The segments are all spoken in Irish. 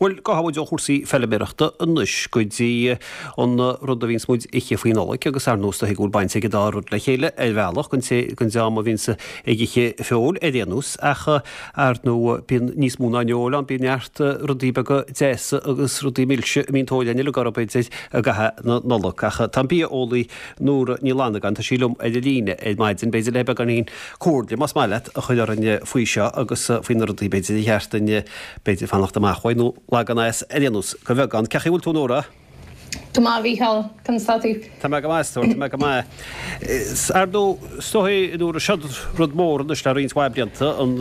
Bhuel, gabhfaidh muid ó chúrsaí feilméarachta anois go dtí an rud a bhíonns muid ag ithe faoi Nollaig agus ar ndóigh is dóichí go bhfuil baint ag an dá rud le chéile ar bhealach, don té den dream a bhíonns ag ithe feoil ar aon nós ach ar ndóigh bíonn níos mó ná an fheoil ann, bíonn neart rudaí beaga deasa agus rudaí milse a mbíonn tóir againn uilig orthu b'fhéidir i gcaitheamh na Nollag. Ach tá an bia-eolaí Nóra Ní Fhlannagáin, tá sí liom ar an líne ar maidin, b'fhéidir le beagáinín comhairle más maith leat a chur orainn faoi seo agus faoi na rudaí b'fhéidir ar cheart duinn b'fhéidir fanacht amach uaidh nó leagan as ar aon nós go bheagán. Cén chaoi a bhfuil tú a Nóra? Go maith, a Mhícheáil. Conas tá tú? Tá mé go maith, a stór, tá mé go maith. Ar ndóigh, is dóigh, a Nóra, seod rud mór anois le roinnt mhaith blianta, an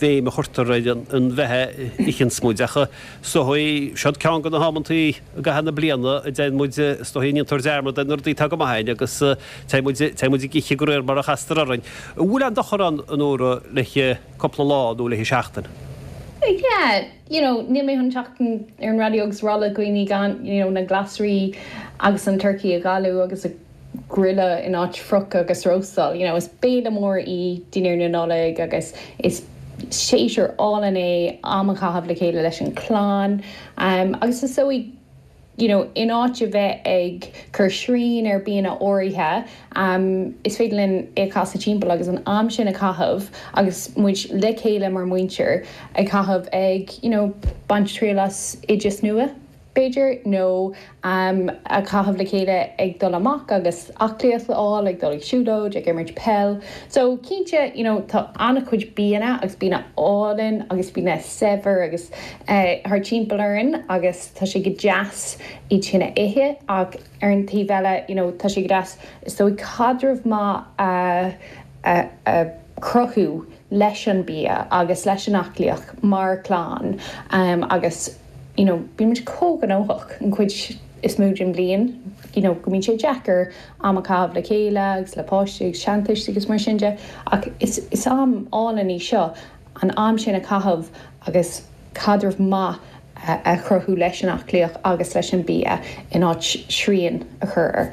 bhéim a chuirtear ar an bheatha a itheanns muid, ach is dóigh, seod ceann de na hamantaí i gcaitheamh na bliana a dtéann muid, is dóigh, a ndéantar dearmad ar na rudaí atá go maith againn agus téann muid, téann muid ag ithe de réir mar a chastar orainn. An bhfuil aon dochar ann, a Nóra, le cúpla lá nó le seachtain. Yeah, you know, níl mé chun teacht ar an raidió agus rá le dhaoine gan, you know, na glasraí agus an turcaí a ghalú agus a grilleadh in áit friochadh agus róstáil. You know, is béile mór í dinnéar na Nollag agus is séasúr álainn é am a chaitheamh le chéile leis an chlann. Agus is dóigh you know, in áit a bheith ag cur srian ar bianna áirithe, is féidir linn é a chasadh timpeall agus an am sin a chaitheamh agus muid le chéile mar mhuintir ag caitheamh ag, you know, baint triail as oideas nua, b'fhéidir, nó am a chaitheamh le chéile ag dul amach agus aclaíocht a fháil, ag dul ag siúlóid, ag imirt peil. So, cinnte, you know, tá an-chuid bianna agus bianna álainn agus bianna saibhir agus thart timpeall orainn agus, Tá sé go deas iad sin a ithe ach ar an taobh eile you know tá sé go deas is dóigh caidreamh maith a a chruthú leis an bia agus leis an aclaíocht mar chlann agus you know bíonn muid chomh gnóthach an chuid is mó den bhliain you know go mbíonn sé deacair am a chaitheamh le chéile agus le páistí agus seantuistí agus mar sin de ach is is am álainn í seo an am sin a chaitheamh agus caidreamh maith a chruthú leis an aclaíocht agus leis an bia in áit srian a chur air.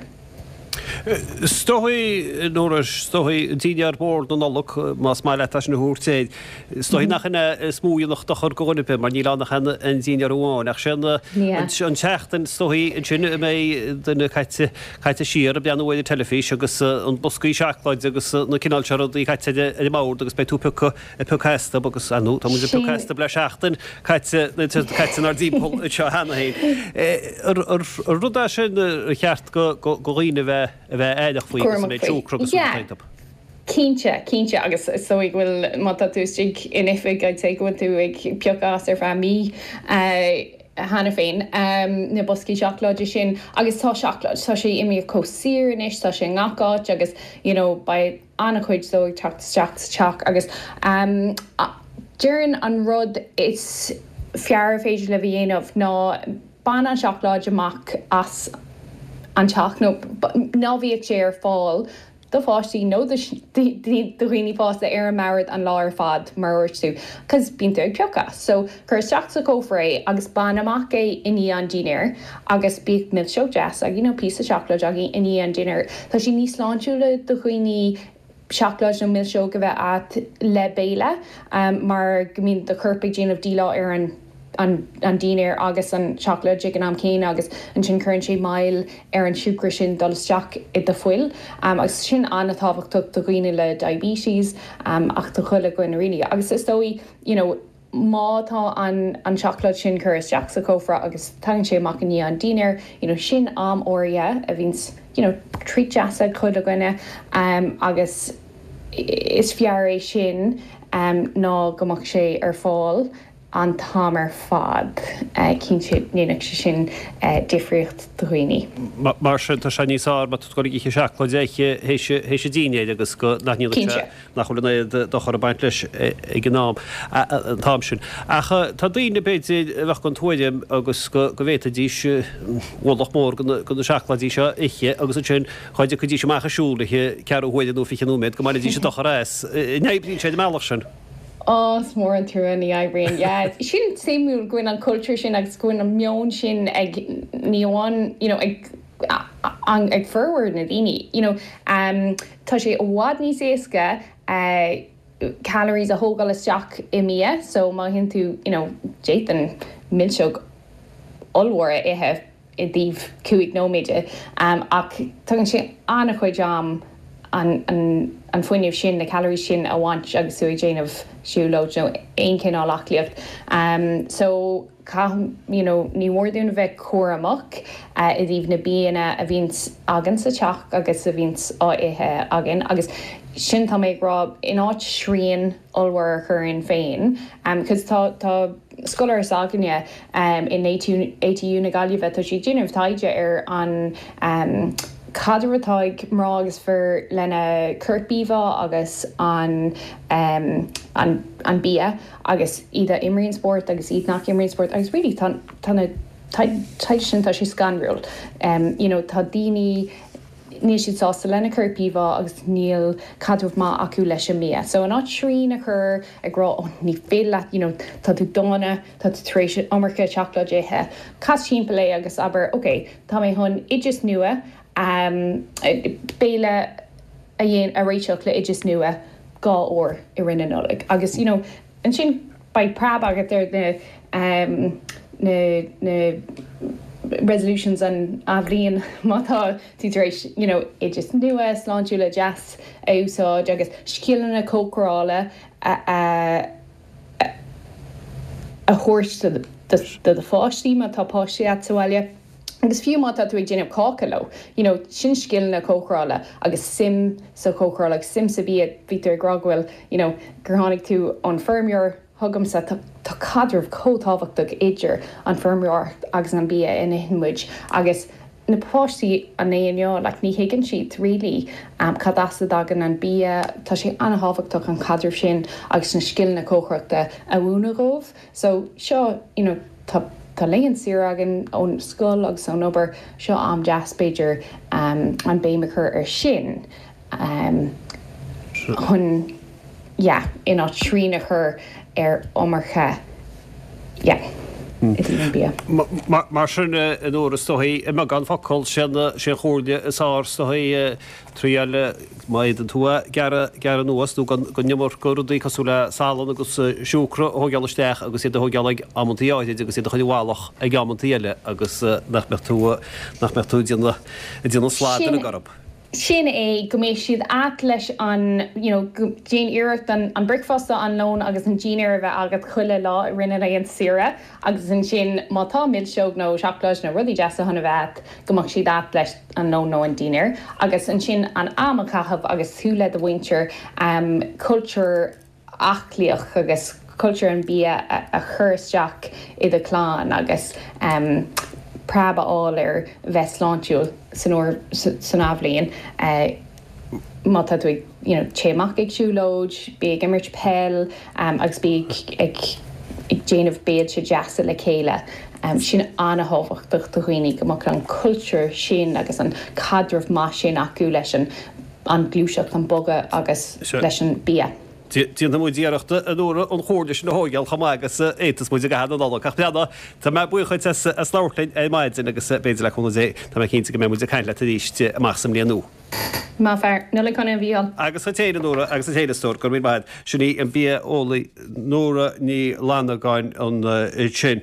Is dóigh, Nóra, is dóigh, dinnéar mór na Nollag, más maith leat é sin a thabhairt air, is dóigh nach in é is mó a dhéanfadh dochar do dhuine ar bith mar níl ann ach an dinnéar amháin. Ach sé an tseachtain, is dóigh, ansin a mbeidh duine caite, caite siar ag breathnú ar an teilifís agus an boscaí seacláide agus na cineál seo rudaí caite ar an mbord agus beidh tú ag piocadh ag piocadh astu agus, ar ndóigh, tá muid ag piocadh astu le seachtain caite, caite inár dtimpeall anseo cheana féin. Ar rud é sin ar cheart do dhaoine a bheith a bheith aireach faoi agus an méid siúcra agus rudaí atá iontu? Cinnte, cinnte agus is dóigh go bhfuil, má tá tú istigh in oifig, I'd say go bhfuil tú ag piocadh as ar feadh mí. cheana féin, na boscaí seacláide sin agus tá seacláid, tá sé imithe chomh saor anois, tá sé i ngach áit agus you know beidh an-chuid dó ag teacht isteach sa teach agus déarfainn an rud is fearr a féidir libh a dhéanamh ná bain an seacláid amach as an teach nó ná bíodh sé ar fáil do pháistí nó do dhaoine fásta ar an mbord an lá ar fad, mar a dúirt tú, 'cause bíonn tú ag piocadh. So, cuir isteach sa chófra é agus bain amach é i ndiaidh an dinnéir agus bíodh milseog deas agaibh nó píosa seacláid agaibh i ndiaidh an dinnéir. Tá sé níos sláintiúla do dhaoine seacláid nó milseog a bheith agat le béile mar go mbíonn do chorp ag déanamh díleá ar an an dinnéar agus an tseacláid ag an am céanna agus ansin cuireann sé moill ar an siúcra sin dul isteach i do fuil agus sin an-tábhachtach do dhaoine le diabetes ach do chuile dhuine really agus is dóigh you know má tá an an tseacláid sin curtha isteach sa chófra agus tagann sé amach i ndiaidh an dinnéir you know sin am áirithe a bhíonns you know treat deas ag chuile dhuine agus is fearr é sin ná go mbeadh sé ar fáil an t-am ar fad. Cinnte, ndéanfadh sé sin difríocht do dhaoine. Mar sin, tá sé níos fearr má tá tú ag dul ag ithe seacláid a ithe théis an dinnéir agus go nach ndéanfaidh sé, nach bhfuil an oiread dochar ag baint leis ag an am, an t-am sin. Ach tá daoine, b'fhéidir, a bheadh den tuairim agus go bhféadfaidís ualach mór de na seacláidí seo a ithe agus ansin dhá dtiocfaidís amach ag siúl le ceathrú huaire nó 20 nóiméad go mbainfidís an dochar as. An oibríonn sé ar an mbealach sin? Ó, is mór an trua, ní oibríonn. Yeah, sin suimiúil go bhfuil an cultúr sin agus go bhfuil an meon sin ag, ní amháin, you know, ag, ag formhór na daoine, you know. Tá sé i bhfad níos éasca. calories a thógáil isteach i mbia so má itheann tú you know d'fhéadfainn milseog ollmhór a ithe i dtaobh 5 nóiméad ach tógann sé an-chuid am an an fuinneamh sin, na calories sin a bhaint agus tú ag déanamh siúlóid nó aon chineál aclaíocht. So caith you know ní mór dúinn a bheith cúramach i dtaobh na bianna a bhíonns againn sa teach agus a bhíonns á ithe againn agus sin tá mé ag rá in áit srian ollmhór a chur orainn féin cos tá tá scoláire s'againne in ATU na Gaillimhe tá sí ag déanamh taighde ar an caidreamh atá ag mná agus fir lena corpíomhá agus an an an bia agus iad a imríonn spórt agus iad nach imríonn spórt agus really tá tá na taighde sin tá sé scanrúil you know tá daoine níl siad sásta lena corpíomhá agus níl caidreamh maith acu leis an mbia. So in áit srian a chur ag rá oh ní féidir leat you know tá tú dána, tá tú tar éis an iomarca seacláid a ithe, cas timpeall é agus abair ok tá mé chun oideas nua béile a dhéan a réiteach le oideas nua 2 uair i rith na Nollag agus you know ansin beidh preab agat ar na na na resolutions an athbhliain má tá tú tar éis you know oideas nua sláintiúla deas a úsáid agus scileanna cócarála a a a thabhairt do do pháistí má tá páistí agat sa bhaile. Agus fiú má tá tú ag déanamh cáca leo, you know, sin scileanna cócarála agus suim sa chócaráil agus suim sa bhia, bhí tú ag rá go bhfuil, you know, gur tháinig tú ón feirmeoir chugamsa, tá, tá caidreamh chomh tábhachtach idir an feirmeoireacht agus an bia a n-itheann muid agus na páistí an lae inniu, like, ní thuigeann siad really cad as a dtagann an bia, tá sé an-thábhachtach an caidreamh sin agus na scileanna cócaireachta a mhúineadh dhóibh. So, seo, you know, tá, tá laethanta saoire againn ón scoil agus ón obair, seo am deas b'fhéidir an béim a chur ar sin chun, yeah, in áit srian a chur ar iomarca, yeah, i dtaobh an bia. Mar sin, a Nóra, is dóigh, i mbeagán focal, sé an chomhairle is fearr, is dóigh, triail, má fhéadann tú é, gearradh, gearradh anuas nó gan, gan iomarca rudaí cosúil le salann agus siúcra a thóigeáil isteach agus iad a thóigeáil ag amantaí áirid agus iad a chur i bhfolach ag amantaí eile agus nach mbeadh tú, nach mbeadh tú ag déanamh, ag déanamh slad ar an gcorp. Sin é, go mbeidh siad a't leis an, you know, go, déan iarracht an, an bricfeasta, an lón agus an dinnéar a bheith agat chuile lá i rith na laethanta saoire agus ansin má tá milseog nó seacláid nó rudaí deasa chun a bheith a't, go mbeadh siad a't leis an lón nó an dinnéar agus ansin an am a chaitheamh agus tú le do mhuintir, cultúr aclaíoch agus cultúr an bia a chur isteach i do chlann agus preab a fháil ar bheith sláintiúil san uair san athbhliain. Má tá tú ag you know téigh amach ag siúlóid, bí ag imirt peil agus bí ag ag déanamh béilte deasa le chéile. Sin an-thábhachtach do dhaoine go mbeadh an cultúr sin agus an caidreamh maith sin acu leis an an gluaiseacht, an bogadh agus leis an bia. Déanfaidh muid iarracht a Nóra an chomhairle sin a thóigeáil chomh maith agus a fhéadfas muid i gcaitheamh na Nollag. Ach breathnaigh, tá mé buíoch dhuit as as labhairt linn ar maidin agus b'fhéidir le cúnamh Dé tá mé cinnte go mbeidh muid ag caint leat arís amach sa mbliain nua. Maith fear. Nollaig shona a Mhícheáil. Agus duit féin a Nóra agus duit féin a stór. Go raibh míle maith agat. Sin í an bia-eolaí Nóra Ní Fhlannagáin ansin.